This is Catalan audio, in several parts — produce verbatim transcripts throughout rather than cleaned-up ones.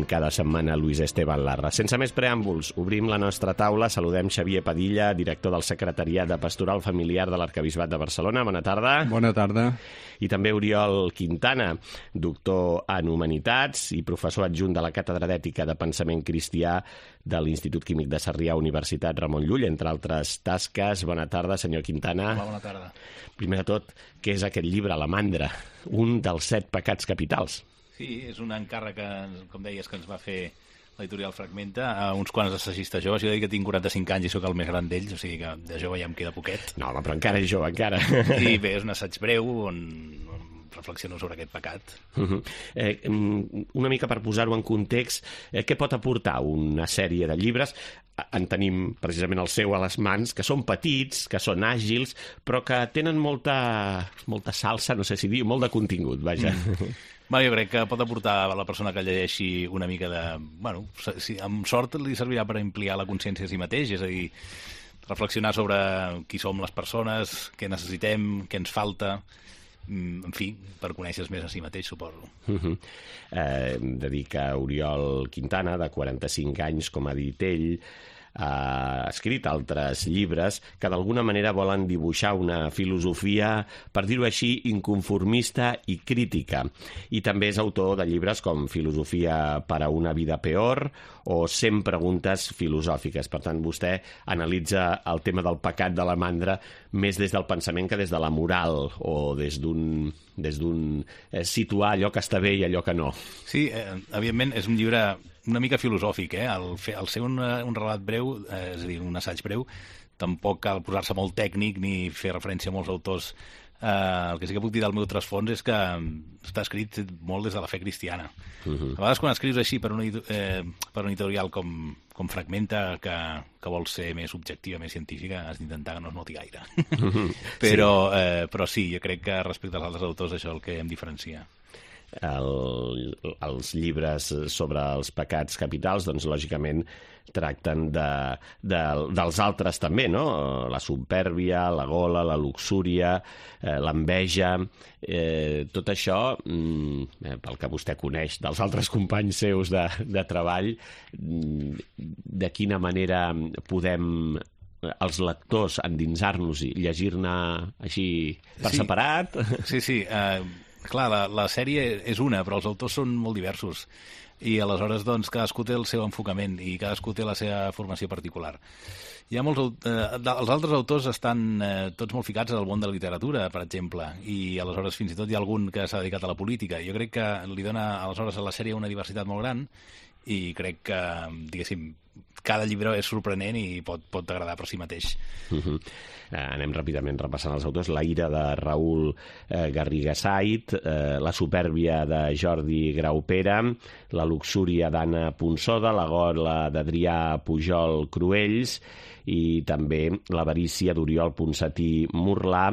fent cada setmana Luis Esteban Larra. Sense més preàmbuls, obrim la nostra taula. Saludem Xavier Padilla, director del Secretariat de Pastoral Familiar de l'Arquebisbat de Barcelona. Bona tarda. Bona tarda. I també Oriol Quintana, doctor en Humanitats i professor adjunt de la Càtedra d'Ètica de Pensament Cristià de l'Institut Químic de Sarrià, Universitat Ramon Llull, entre altres tasques. Bona tarda, senyor Quintana. Hola, bona tarda. Primer de tot, què és aquest llibre, La Mandra? Un dels set pecats capitals. Sí, és un encàrrec que, com deies, que ens va fer l'editorial Fragmenta a uns quants assaggistes joves. Jo dic que tinc quaranta-cinc anys i sóc el més gran d'ells, o sigui que de jove ja em queda poquet. No, home, però encara és jove, encara. I bé, és un assaig breu on, on reflexiono sobre aquest pecat. Uh-huh. eh, una mica per posar-ho en context, eh, què pot aportar una sèrie de llibres? En tenim precisament el seu a les mans, que són petits, que són àgils, però que tenen molta, molta salsa, no sé si dir, molt de contingut, vaja. Mm. Bueno, jo crec que pot aportar a la persona que llegeixi una mica de... Bueno, si, amb sort li servirà per ampliar la consciència a si mateix, és a dir, reflexionar sobre qui som les persones, què necessitem, què ens falta, en fi, per conèixer més a si mateix, suposo. Uh-huh. eh, hem de dir que Oriol Quintana, de quaranta-cinc anys, com ha dit ell, ha escrit altres llibres que d'alguna manera volen dibuixar una filosofia, per dir-ho així, inconformista i crítica. I també és autor de llibres com Filosofia per a una vida peor o cent preguntes filosòfiques. Per tant, vostè analitza el tema del pecat de la mandra més des del pensament que des de la moral o des d'un des d'un eh, situar allò que està bé i allò que no. Sí, eh, evidentment és un llibre una mica filosòfic, eh? El, fer, el ser un, un relat breu, eh, és a dir, un assaig breu, tampoc cal posar-se molt tècnic ni fer referència a molts autors. Eh, el que sí que puc dir del meu trasfons és que està escrit molt des de la fe cristiana. Uh-huh. A vegades quan escrius així per un, eh, per un editorial com, com Fragmenta, que, que vol ser més objectiva, més científica, has d'intentar que no es noti gaire. Uh-huh. però, sí. Eh, però sí, jo crec que respecte als altres autors això és el que em diferencia. El, els llibres sobre els pecats capitals, doncs, lògicament, tracten de, de, dels altres també, no? La supèrbia, la gola, la luxúria, eh, l'enveja, eh, tot això, eh, pel que vostè coneix dels altres companys seus de, de treball, de quina manera podem els lectors endinsar-nos i llegir-ne així per sí. separat? Sí, sí, eh... Clar, la, la sèrie és una, però els autors són molt diversos i aleshores doncs, cadascú té el seu enfocament i cadascú té la seva formació particular. Hi ha molts, eh, els altres autors estan eh, tots molt ficats al món de la literatura, per exemple, i aleshores fins i tot hi ha algun que s'ha dedicat a la política. Jo crec que li dona aleshores a la sèrie una diversitat molt gran i crec que, diguéssim, cada llibre és sorprenent i pot, pot agradar per si mateix. Uh-huh. Eh, anem ràpidament repassant els autors. La ira de Raül eh, Garriga Sait, eh, La supèrbia de Jordi Graupera, La luxúria d'Anna Ponsoda, La gola d'Adrià Pujol Cruells i també L'avarícia d'Oriol Ponsatí Murlà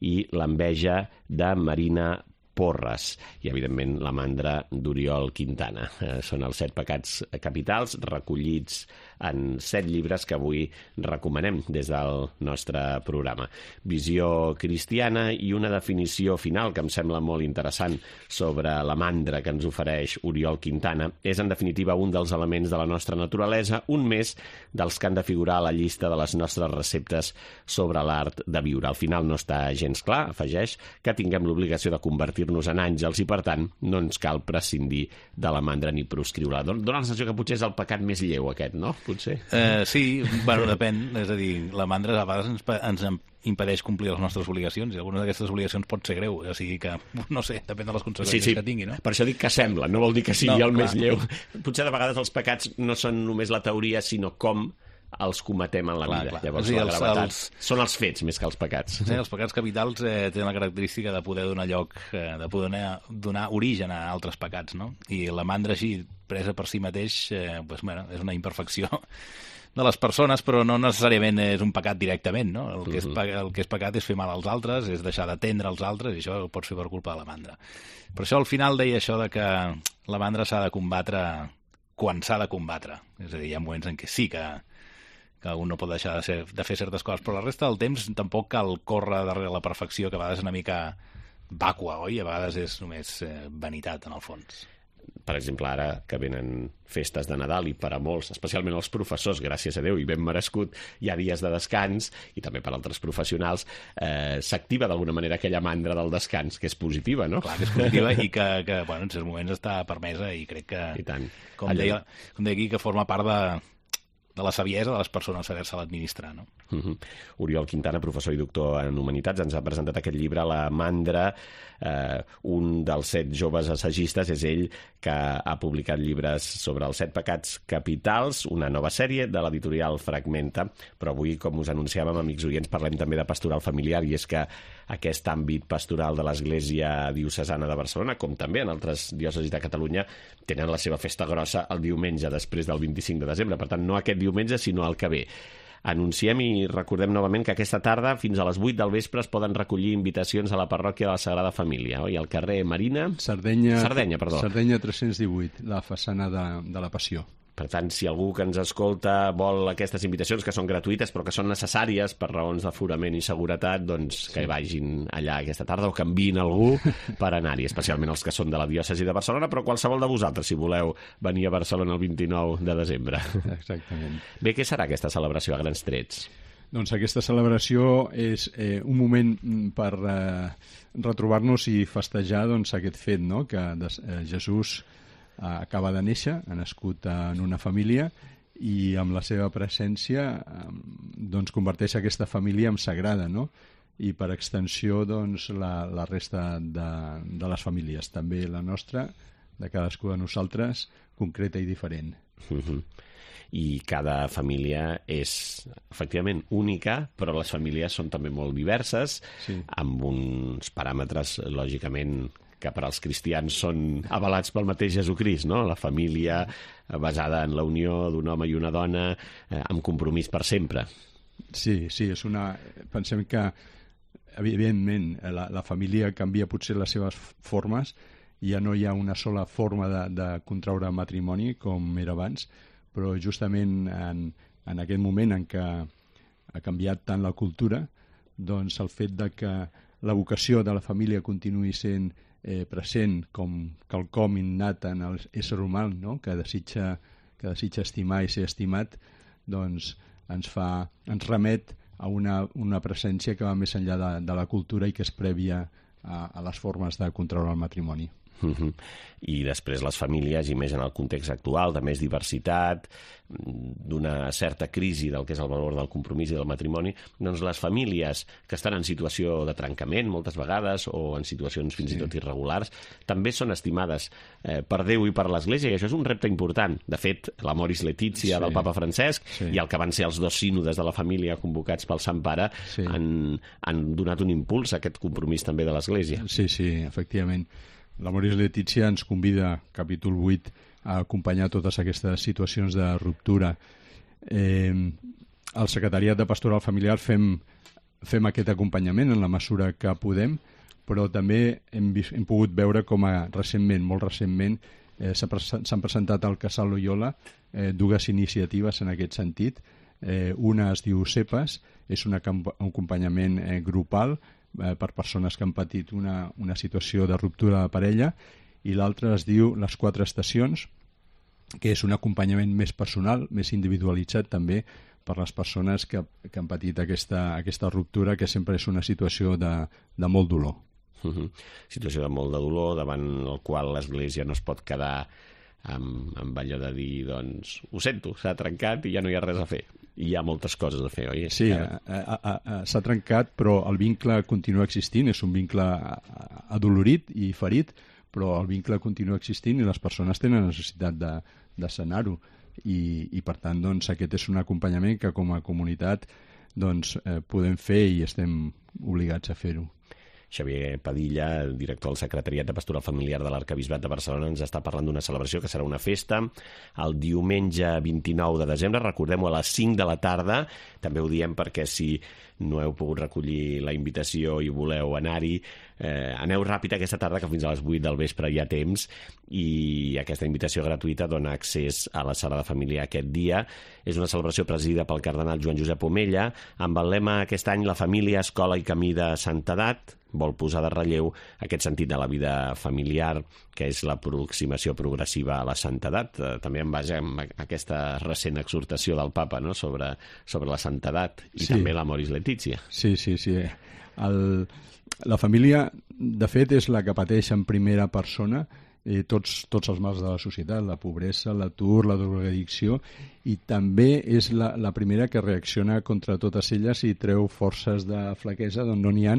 i L'enveja de Marina Porres i, evidentment, La mandra d'Oriol Quintana. Eh, són els set pecats capitals recollits en set llibres que avui recomanem des del nostre programa. Visió cristiana i una definició final que em sembla molt interessant sobre la mandra que ens ofereix Oriol Quintana. És, en definitiva, un dels elements de la nostra naturalesa, un més dels que han de figurar a la llista de les nostres receptes sobre l'art de viure. Al final no està gens clar, afegeix, que tinguem l'obligació de convertir-nos en àngels i, per tant, no ens cal prescindir de la mandra ni proscriure-la. Dóna la sensació que potser és el pecat més lleu, aquest, no? Potser. Eh, sí, bueno, depèn. És a dir, la mandra a vegades ens, ens impedeix complir les nostres obligacions i alguna d'aquestes obligacions pot ser greu. O sigui que, no sé, depèn de les conseqüències sí, sí. que tingui, no? Per això dic que sembla, no vol dir que sigui no, el clar. més lleu. Potser de vegades els pecats no són només la teoria, sinó com els cometem en la clar, vida. Clar. Llavors, sí, la gravetat els, els... són els fets més que els pecats. Sí, els pecats capitals eh, tenen la característica de poder donar lloc, eh, de poder donar, donar origen a altres pecats, no? I la mandra així, presa per si mateix, eh, pues, bueno, és una imperfecció de les persones, però no necessàriament és un pecat directament, no? El que, és, el que és pecat és fer mal als altres, és deixar d'atendre els altres, i això ho pots fer per culpa de la mandra. Per això al final deia això de que la mandra s'ha de combatre quan s'ha de combatre. És a dir, hi ha moments en què sí que que un no pot deixar de, ser, de fer certes coses, però la resta del temps tampoc cal córrer darrere la perfecció, que a vegades és una mica vàcua, oi? A vegades és només eh, vanitat, en el fons. per exemple, ara que venen festes de Nadal i per a molts, especialment els professors, gràcies a Déu, i ben merescut, hi ha dies de descans, i també per altres professionals, eh, s'activa d'alguna manera aquella mandra del descans, que és positiva, no? Clar que és positiva i que, que bueno, en certs moments està permesa i crec que, I tant. com deia, com deia aquí, que forma part de, de la saviesa de les persones saber-se l'administrar, no? Uh-huh. Oriol Quintana, professor i doctor en Humanitats, ens ha presentat aquest llibre, La Mandra. Eh, un dels set joves assagistes és ell, que ha publicat llibres sobre els set pecats capitals, una nova sèrie de l'editorial Fragmenta, però avui, com us anunciàvem, amics oients, parlem també de pastoral familiar, i és que aquest àmbit pastoral de l'Església Diocesana de Barcelona, com també en altres diòcesis de Catalunya, tenen la seva festa grossa el diumenge després del vint-i-cinc de desembre, per tant, no aquest diumenge, sinó el que ve. Anunciem i recordem novament que aquesta tarda, fins a les vuit del vespre, es poden recollir invitacions a la parròquia de la Sagrada Família, oi? Al carrer Marina... Sardenya, Sardenya, perdó. Sardenya tres-cents divuit, la façana de, de la Passió. Per tant, si algú que ens escolta vol aquestes invitacions, que són gratuïtes però que són necessàries per raons d'aforament i seguretat, doncs que sí. vagin allà aquesta tarda o que enviïn algú per anar-hi, especialment els que són de la diòcesi de Barcelona, però qualsevol de vosaltres, si voleu venir a Barcelona el vint-i-nou de desembre. Exactament. Bé, què serà aquesta celebració a grans trets? Doncs aquesta celebració és eh, un moment per eh, retrobar-nos i festejar doncs, aquest fet, no?, que eh, Jesús acaba de néixer, ha nascut en una família i amb la seva presència doncs, converteix aquesta família en sagrada, no? I per extensió doncs, la, la resta de, de les famílies, també la nostra, de cadascú de nosaltres, concreta i diferent. Uh-huh. I cada família és efectivament única, però les famílies són també molt diverses, sí. amb uns paràmetres, lògicament, que per als cristians són avalats pel mateix Jesucrist, no? La família basada en la unió d'un home i una dona eh, amb compromís per sempre. Sí, sí, és una... Pensem que, evidentment, la, la família canvia potser les seves formes, ja no hi ha una sola forma de, de contraure matrimoni com era abans, però justament en, en aquest moment en què ha canviat tant la cultura, doncs el fet de que la vocació de la família continuï sent Eh, present com quelcom innat en l'ésser humà, no?, que desitja, que desitja estimar i ser estimat, doncs ens fa, ens remet a una, una presència que va més enllà de, de la cultura i que és prèvia a, a les formes de contraure el matrimoni. Uh-huh. I després les famílies, i més en el context actual, de més diversitat, d'una certa crisi del que és el valor del compromís i del matrimoni, doncs les famílies que estan en situació de trencament moltes vegades o en situacions fins sí. i tot irregulars, també són estimades eh, per Déu i per l'Església, i això és un repte important. De fet, l'Amoris Laetitia sí. del Papa Francesc sí. i el que van ser els dos sínodes de la família convocats pel Sant Pare sí. han, han donat un impuls a aquest compromís també de l'Església. Sí, sí, efectivament. L'Amoris Laetitia ens convida, capítol vuit, a acompanyar totes aquestes situacions de ruptura. Eh, al Secretariat de Pastoral Familiar fem, fem aquest acompanyament en la mesura que podem, però també hem, vist, hem pogut veure com a recentment, molt recentment, eh, s'han presentat al Casal Loyola eh, dues iniciatives en aquest sentit. Eh, una es diu CEPAS, és un acompanyament eh, grupal per persones que han patit una, una situació de ruptura de parella, i l'altra es diu Les Quatre Estacions, que és un acompanyament més personal, més individualitzat també per les persones que, que han patit aquesta, aquesta ruptura, que sempre és una situació de, de molt dolor. Uh-huh. Situació de molt de dolor, davant el qual l'Església no es pot quedar amb, amb allò de dir, doncs, ho sento, s'ha trencat i ja no hi ha res a fer. Hi ha moltes coses a fer, oi? Sí, s'ha trencat, però el vincle continua existint, és un vincle adolorit i ferit, però el vincle continua existint i les persones tenen necessitat de, de sanar-ho. I, i per tant, doncs, aquest és un acompanyament que com a comunitat doncs, eh, podem fer i estem obligats a fer-ho. Xavier Padilla, director del Secretariat de Pastoral Familiar de l'Arquebisbat de Barcelona, ens està parlant d'una celebració que serà una festa el diumenge vint-i-nou de desembre, recordem-ho, a les cinc de la tarda. També ho diem perquè si no heu pogut recollir la invitació i voleu anar-hi, eh, aneu ràpid aquesta tarda, que fins a les vuit del vespre hi ha temps, i aquesta invitació gratuïta dona accés a la Sagrada Família aquest dia. És una celebració presidida pel cardenal Joan Josep Omella, amb el lema aquest any La família, escola i camí de santedat. vol posar de relleu aquest sentit de la vida familiar, que és l'aproximació progressiva a la santedat, eh, també en base a aquesta recent exhortació del papa, no?, sobre, sobre la santedat, i sí. també l'Amoris Laetitia. Sí, sí, sí. El, la família, de fet, és la que pateix en primera persona eh, tots, tots els mals de la societat, la pobresa, l'atur, la drogadicció, i també és la, la primera que reacciona contra totes elles i treu forces de flaquesa d'on no n'hi ha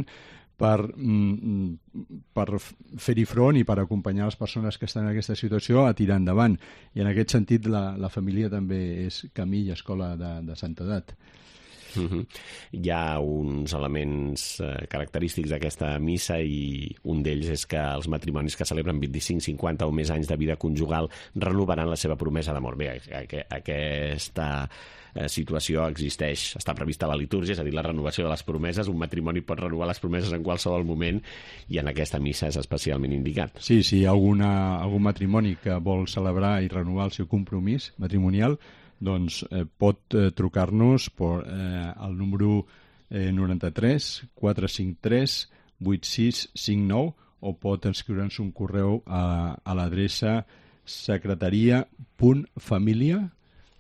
per, per fer-hi front i per acompanyar les persones que estan en aquesta situació a tirar endavant. I en aquest sentit la, la família també és camí i escola de, de santedat. Uh-huh. Hi ha uns elements eh, característics d'aquesta missa, i un d'ells és que els matrimonis que celebren vint-i-cinc, cinquanta o més anys de vida conjugal renovaran la seva promesa d'amor. Bé, aquesta eh, situació existeix, està prevista a la litúrgia, és a dir, la renovació de les promeses. Un matrimoni pot renovar les promeses en qualsevol moment, i en aquesta missa és especialment indicat. Sí, sí, hi ha alguna, algun matrimoni que vol celebrar i renovar el seu compromís matrimonial, doncs eh, pot eh, trucar-nos per, eh, al número eh, noranta-tres quatre cinc tres vuit sis cinc nou, o pot inscriure'ns un correu a, a l'adreça secretaria punt família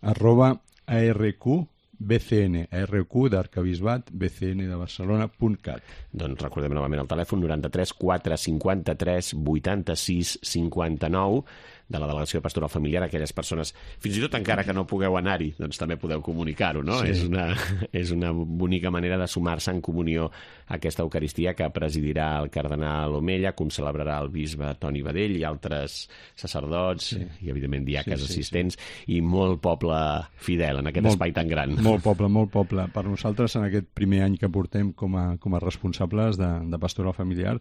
arroba arqbcn, arq d'Arcabisbat, bcn de Barcelona punt cat. Doncs recordem novament el telèfon noranta-tres quatre cinquanta-tres vuitanta-sis cinquanta-nou, de la Delegació de Pastoral Familiar. Aquelles persones, fins i tot encara que no pugueu anar-hi, doncs també podeu comunicar-ho, no? Sí. És una, és una bonica manera de sumar-se en comunió a aquesta Eucaristia que presidirà el cardenal Omella, com celebrarà el bisbe Toni Badell i altres sacerdots, sí. i evidentment diaques sí, sí, assistents, sí. i molt poble fidel en aquest molt, espai tan gran. Molt poble, molt poble. Per nosaltres, en aquest primer any que portem com a, com a responsables de, de Pastoral Familiar,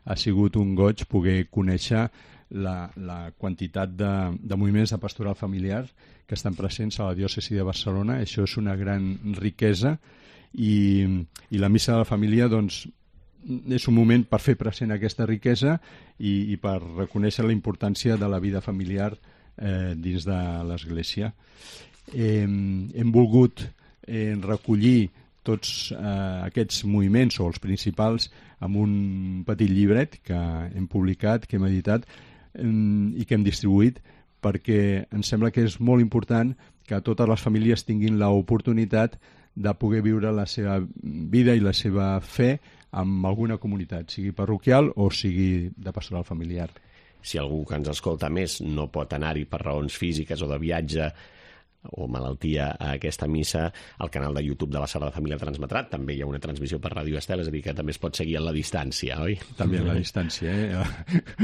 ha sigut un goig poder conèixer La, la quantitat de, de moviments de pastoral familiar que estan presents a la diòcesi de Barcelona. Això és una gran riquesa, i, i la missa de la família doncs, és un moment per fer present aquesta riquesa i, i per reconèixer la importància de la vida familiar eh, dins de l'Església. Eh, hem volgut eh, recollir tots eh, aquests moviments, o els principals, amb un petit llibret que hem publicat, que hem editat, i que hem distribuït, perquè ens sembla que és molt important que totes les famílies tinguin l'oportunitat de poder viure la seva vida i la seva fe amb alguna comunitat, sigui parroquial o sigui de pastoral familiar. Si algú que ens escolta més no pot anar-hi per raons físiques o de viatge o malaltia a aquesta missa, el canal de YouTube de la Sagrada Família transmetrà. També hi ha una transmissió per Ràdio Estel, és a dir, que també es pot seguir a la distància, oi? També a la distància, eh?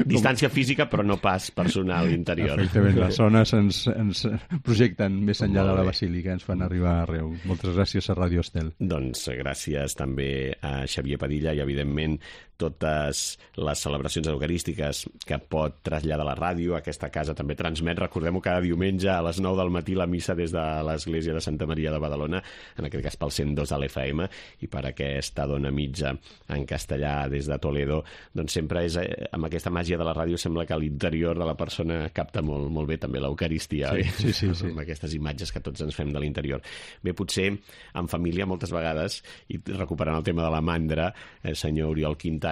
Distància física, però no pas personal interior. Efectivament, les zones ens, ens projecten més enllà de la Basílica, ens fan arribar arreu. Moltes gràcies a Ràdio Estel. Doncs gràcies també a Xavier Padilla, i evidentment totes les celebracions eucarístiques que pot traslladar la ràdio. Aquesta casa també transmet, recordem-ho, cada diumenge a les nou del matí la missa des de l'Església de Santa Maria de Badalona, en aquest cas pel cent dos de l'F M, i per aquesta dona mitja en castellà des de Toledo. Doncs sempre és, amb aquesta màgia de la ràdio, sembla que l'interior de la persona capta molt, molt bé també l'Eucaristia, sí, oi? Sí, sí, sí. Amb aquestes imatges que tots ens fem de l'interior. Bé, potser en família moltes vegades, i recuperant el tema de la mandra, el senyor Oriol Quintana,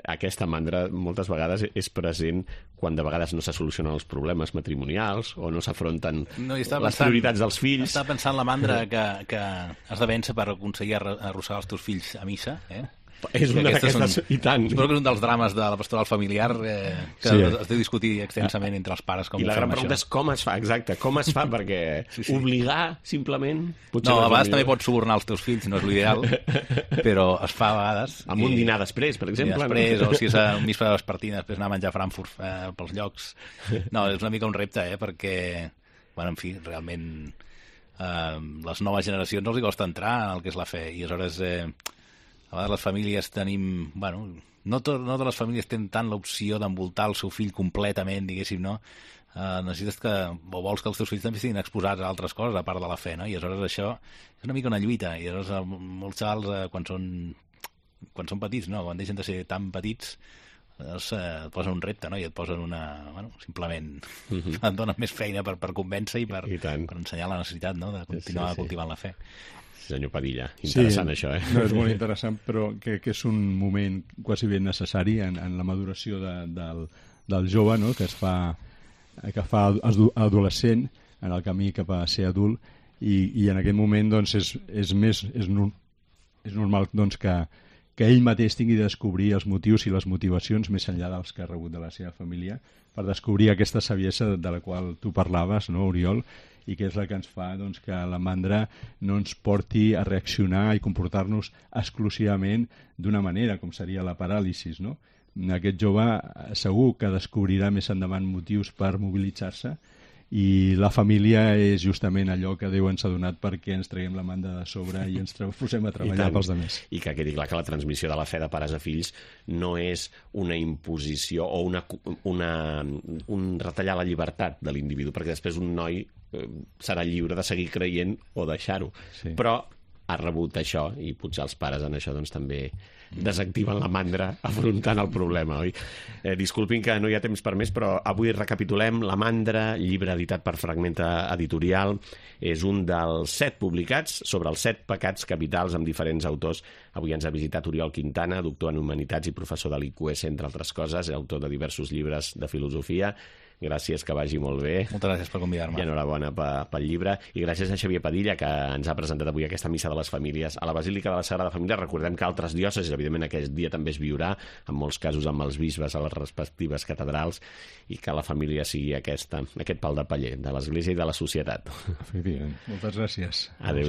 aquesta mandra moltes vegades és present quan de vegades no se solucionen els problemes matrimonials o no s'afronten no, les pensant, prioritats dels fills. Estava pensant la mandra que, que has de vèncer per aconseguir arrossegar els teus fills a missa, eh? És una d'aquestes, i tant. Suposo que és un dels drames de la pastoral familiar eh, que sí. es deu discutir extensament entre els pares. Com I la gran pregunta és com es fa, exacte, com es fa, perquè sí, sí. obligar, simplement... No, a vegades també pots subornar els teus fills, no és l'ideal, però es fa a vegades. Amb un dinar després, per exemple. Després, no? O si és un misfa de vespertina, després anar a menjar Frankfurt eh, pels llocs. No, és una mica un repte, eh, perquè, bueno, en fi, realment eh, les noves generacions els hi costa entrar en el que és la fe, i aleshores... Eh, a vegades les famílies tenim... Bueno, no, to, no totes les famílies tenen tant l'opció d'envoltar el seu fill completament, diguéssim, no? Uh, necessites que... o vols que els teus fills també estiguin exposats a altres coses, a part de la fe, no? I aleshores això és una mica una lluita. I aleshores molts xavals, uh, quan són quan són petits, no? Quan deixen de ser tan petits, llavors uh, et posen un repte, no? I et posen una... Bueno, simplement mm-hmm. et donen més feina per, per convèncer i per, I per ensenyar la necessitat, no? De continuar sí, sí. cultivant la fe. senyor Padilla. Interessant, sí, això, eh? No, és molt interessant, però que, que és un moment quasi ben necessari en, en la maduració de, del, del jove, no?, que es fa, que fa adolescent en el camí cap a ser adult, i, i en aquest moment doncs, és, és, més, és, és normal doncs, que, que ell mateix tingui de descobrir els motius i les motivacions més enllà dels que ha rebut de la seva família, per descobrir aquesta saviesa de la qual tu parlaves, no, Oriol, i que és la que ens fa doncs, que la mandra no ens porti a reaccionar i comportar-nos exclusivament d'una manera, com seria la paràlisi, no? Aquest jove segur que descobrirà més endavant motius per mobilitzar-se, i la família és justament allò que Déu ens ha donat perquè ens traguem la manda de sobre i ens posem a treballar pels altres. I que quedi clar que la transmissió de la fe de pares a fills no és una imposició o una, una, un retallar la llibertat de l'individu, perquè després un noi eh, serà lliure de seguir creient o deixar-ho. Sí. Però ha rebut això i potser els pares en això doncs, també desactiven la mandra afrontant el problema, oi? Eh, disculpin que no hi ha temps per més, però avui recapitulem La mandra, llibre editat per Fragmenta Editorial. És un dels set publicats sobre els set pecats capitals amb diferents autors. Avui ens ha visitat Oriol Quintana, doctor en Humanitats i professor de l'I Q S, entre altres coses, autor de diversos llibres de filosofia. Gràcies, que vagi molt bé. Moltes gràcies per convidar-me. I enhorabona pel llibre. I gràcies a Xavier Padilla, que ens ha presentat avui aquesta missa de les famílies a la Basílica de la Sagrada Família. Recordem que altres diòcesis, evidentment, aquest dia també es viurà, en molts casos amb els bisbes a les respectives catedrals, i que la família sigui aquesta, aquest pal de paller de l'Església i de la societat. Efectivament. Moltes gràcies. Adéu.